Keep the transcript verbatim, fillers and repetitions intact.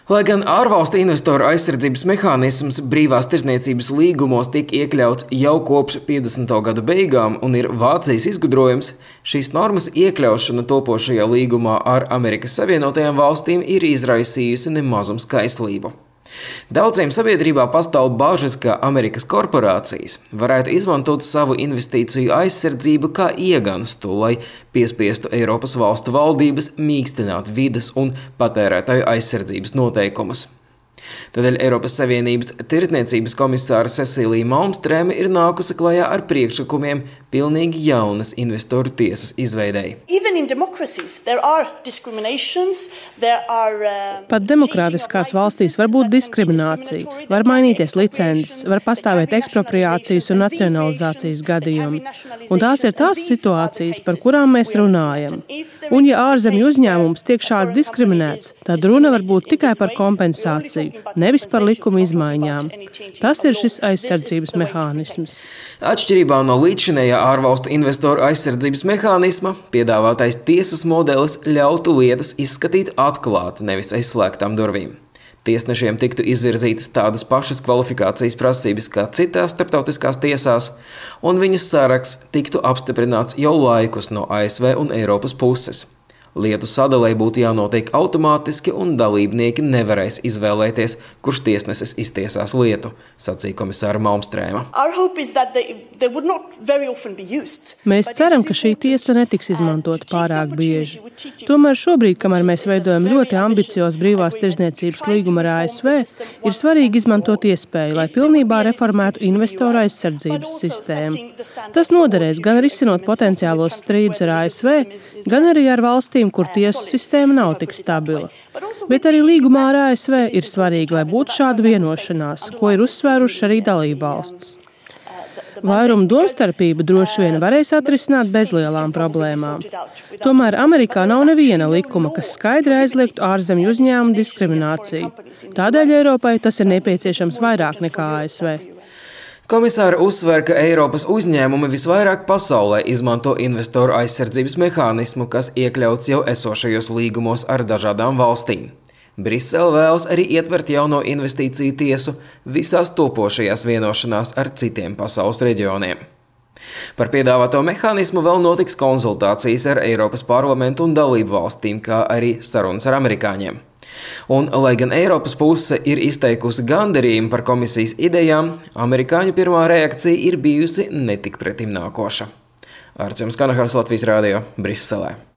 Lai gan ārvalstu investoru aizsardzības mehānisms brīvās tirdzniecības līgumos tika iekļauts jau kopš piecdesmito gadu beigām un ir Vācijas izgudrojums, šīs normas iekļaušana topošajā līgumā ar Amerikas Savienotajām valstīm ir izraisījusi nemazums kaislību. Daudziem sabiedrībā pastāv bažas, ka Amerikas korporācijas varētu izmantot savu investīciju aizsardzību kā ieganstu, lai piespiestu Eiropas valstu valdības mīkstināt vides un patērētāju aizsardzības noteikumus. Tādēļ Eiropas Savienības tirdzniecības komisāra Cecilija Malmstrēme ir nākusi klajā ar priekšlikumiem pilnīgi jaunas investoru tiesas izveidei. Pat demokrātiskās valstīs var būt diskriminācija, var mainīties licences, var pastāvēt ekspropriācijas un nacionalizācijas gadījumi. Un tās ir tās situācijas, par kurām mēs runājam. Un ja ārzemju uzņēmums tiek šādi diskriminēts, tad runa var būt tikai par kompensāciju, nevis par likuma izmaiņām. Tas ir šis aizsardzības mehānisms. Atšķirībā no līdzinējā ārvalstu investoru aizsardzības mehānisma, piedāvātais tiesas modelis ļautu lietas izskatīt atklāti, nevis aizslēgtām durvīm. Tiesnešiem tiktu izvirzītas tādas pašas kvalifikācijas prasības kā citās starptautiskās tiesās, un viņu saraksts tiktu apstiprināts jau laikus no A S V un Eiropas puses. Lietu sadalei būtu jānotiek automātiski un dalībnieki nevarēs izvēlēties, kurš tiesnesis iztiesās lietu, sacīja komisāra Malmstrēma. Mēs ceram, ka šī tiesa netiks izmantota pārāk bieži. Tomēr šobrīd, kamēr mēs veidojam ļoti ambiciozu brīvās tirdzniecības līgumu ar A S V, ir svarīgi izmantot iespēju, lai pilnībā reformētu investoru aizsardzības sistēmu. Tas noderēs gan risinot potenciālos strīdus ar A S V, gan arī ar valstīm, kur tiesu sistēma nav tik stabila. Bet arī līgumā ar A S V ir svarīgi, lai būtu šāda vienošanās, ko ir uzsvēruši arī dalībvalstis. Vairumu domstarpību droši vien varēs atrisināt bez lielām problēmām. Tomēr Amerikā nav neviena likuma, kas skaidri aizliegtu ārzemju uzņēmumu diskrimināciju. Tādēļ Eiropai tas ir nepieciešams vairāk nekā A S V. Komisāra uzsver, ka Eiropas uzņēmumi visvairāk pasaulē izmanto investoru aizsardzības mehānismu, kas iekļauts jau esošajos līgumos ar dažādām valstīm. Brisele vēlas arī ietvert jauno investīciju tiesu visās topošajās vienošanās ar citiem pasaules reģioniem. Par piedāvāto mehānismu vēl notiks konsultācijas ar Eiropas parlamentu un dalību valstīm, kā arī sarunas ar amerikāņiem. Un, lai gan Eiropas puse ir izteikusi gandarījumu par komisijas idejām, amerikāņu pirmā reakcija ir bijusi netik pretimnākoša. Arts Jums Kanahās, Latvijas Rādio, Briselē.